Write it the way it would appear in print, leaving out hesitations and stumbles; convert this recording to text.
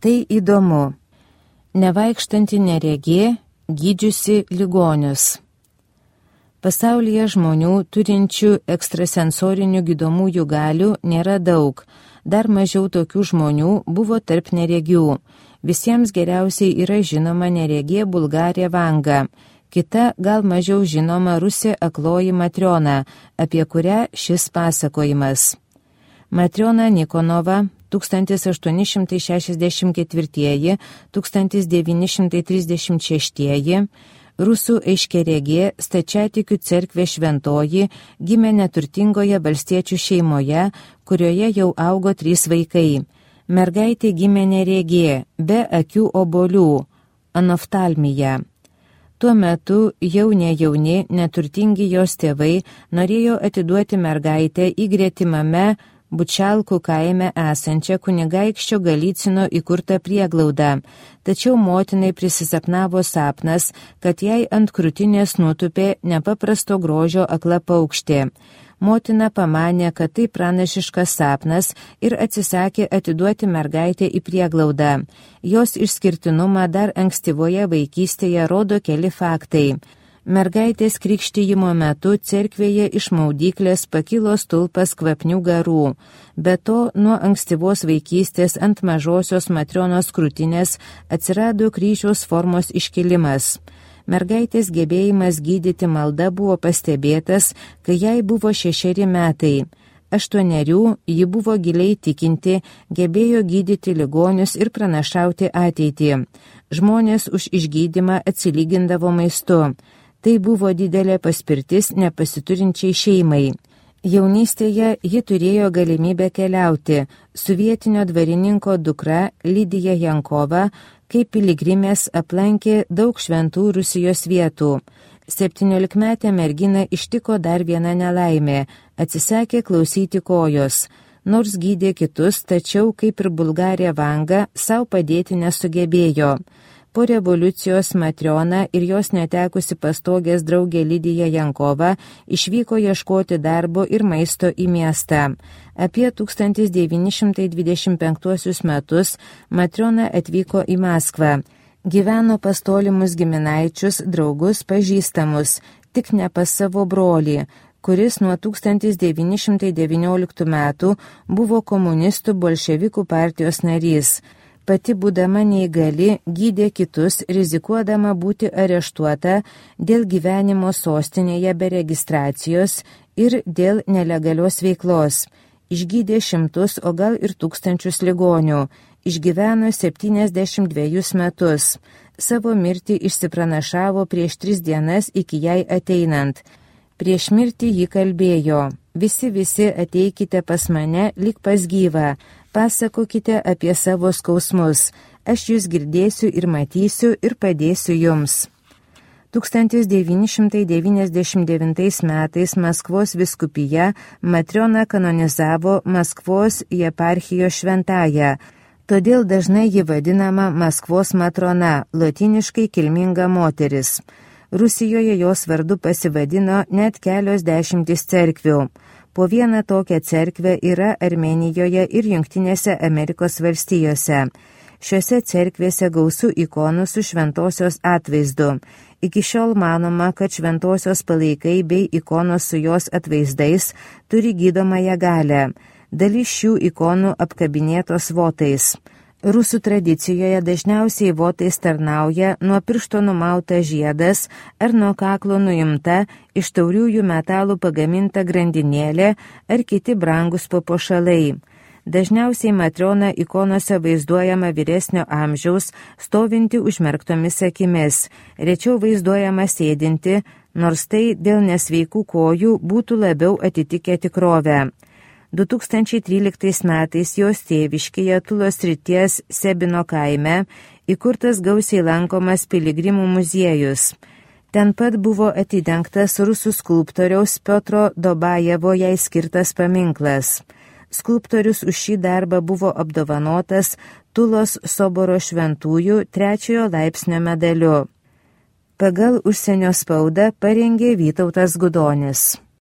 Tai įdomu. Nevaikštanti neregė, gydžiusi ligonius. Pasaulyje žmonių turinčių ekstrasensorinių gydomųjų galių nėra daug. Dar mažiau tokių žmonių buvo tarp neregių. Visiems geriausiai yra žinoma neregė Bulgarė Vanga. Kita, gal mažiau žinoma rusė akloji Matriona, apie kurią šis pasakojimas. Matriona Nikonova 1884–1936, rusų aiškiaregė stačiatikių cerkvės šventoji, gimė neturtingoje valstiečių šeimoje, kurioje jau augo 3 vaikai. Mergaitė gimė neregė, be akių obuolių, anoftalmija. Tuo metu jauni, neturtingi jos tėvai norėjo atiduoti mergaitę į gretimame Bučalkų kaime esančią kunigaikščio Galicino įkurtą prieglaudą, tačiau motinai prisisapnavo sapnas, kad jai ant krūtinės nutupė nepaprasto grožio akla paukštė. Motina pamanė, kad tai pranašiškas sapnas ir atsisakė atiduoti mergaitę į prieglaudą. Jos išskirtinumą dar ankstyvoje vaikystėje rodo keli faktai. Mergaitės krikštijimo metu cerkvėje iš maudyklės pakilo stulpas kvapnių garų. Be to, nuo ankstyvos vaikystės ant mažosios Matrionos krūtinės atsirado kryžiaus formos iškilimas. Mergaitės gebėjimas gydyti malda buvo pastebėtas, kai jai buvo 6 metai. 8 ji buvo giliai tikinti, gebėjo gydyti ligonius ir pranašauti ateitį. Žmonės už išgydymą atsilygindavo maistu. Tai buvo didelė paspirtis nepasiturinčiai šeimai. Jaunystėje ji turėjo galimybę keliauti. Su vietinio dvarininko dukra Lidija Jankova kaip piligrimės aplankė daug šventų Rusijos vietų. 17-metę merginą ištiko dar viena nelaimė – atsisakė klausyti kojos. Nors gydė kitus, tačiau, kaip ir Bulgarė Vanga, savo padėti nesugebėjo. Po revoliucijos Matriona ir jos netekusi pastogės draugė Lidija Jankova išvyko ieškoti darbo ir maisto į miestą. Apie 1925 metus Matriona atvyko į Maskvą. Gyveno pas tolimus giminaičius, draugus, pažįstamus, tik ne pas savo brolį, kuris nuo 1919 metų buvo komunistų bolševikų partijos narys. Pati būdama neįgali, gydė kitus, rizikuodama būti areštuota dėl gyvenimo sostinėje be registracijos ir dėl nelegalios veiklos. Išgydė 100, o gal ir 1000 ligonių. Išgyveno 72 metus. Savo mirtį išsipranašavo prieš 3 dienas iki jai ateinant. Prieš mirtį ji kalbėjo: visi ateikite pas mane lyg pas gyvą. Pasakokite apie savo skausmus, aš jūs girdėsiu ir matysiu ir padėsiu jums. 1999 metais Maskvos vyskupija Matriona kanonizavo Maskvos jeparchijos šventąją, todėl dažnai ji vadinama Maskvos Matrona, lotyniškai kilminga moteris. Rusijoje jos vardu pasivadino net kelios dešimtys cerkvių. Po vieną tokią cerkvę yra Armėnijoje ir Jungtinėse Amerikos valstijose. Šiuose cerkvėse gausu ikonų su šventosios atvaizdu. Iki šiol manoma, kad šventosios palaikai bei ikonos su jos atvaizdais turi gydomąją galią. Dalis šių ikonų apkabinėtos votais. Rusų tradicijoje dažniausiai votais tarnauja nuo piršto numauta žiedas ar nuo kaklo nuimta iš tauriųjų metalų pagaminta grandinėlė ar kiti brangus papuošalai. Dažniausiai Matriona ikonose vaizduojama vyresnio amžiaus, stovinti užmerktomis akimis, rečiau vaizduojama sėdinti, nors tai dėl nesveikų kojų būtų labiau atitikę tikrovę. 2013 metais jos tėviškėje Tulos srities Sebino kaime įkurtas gausiai lankomas piligrimų muziejus. Ten pat buvo atidengtas rusų skulptoriaus Piotro Dobajevo jai skirtas paminklas. Skulptorius už šį darbą buvo apdovanotas Tulos soboro šventųjų 3 laipsnio medaliu. Pagal užsienio spaudą parengė Vytautas Gudonis.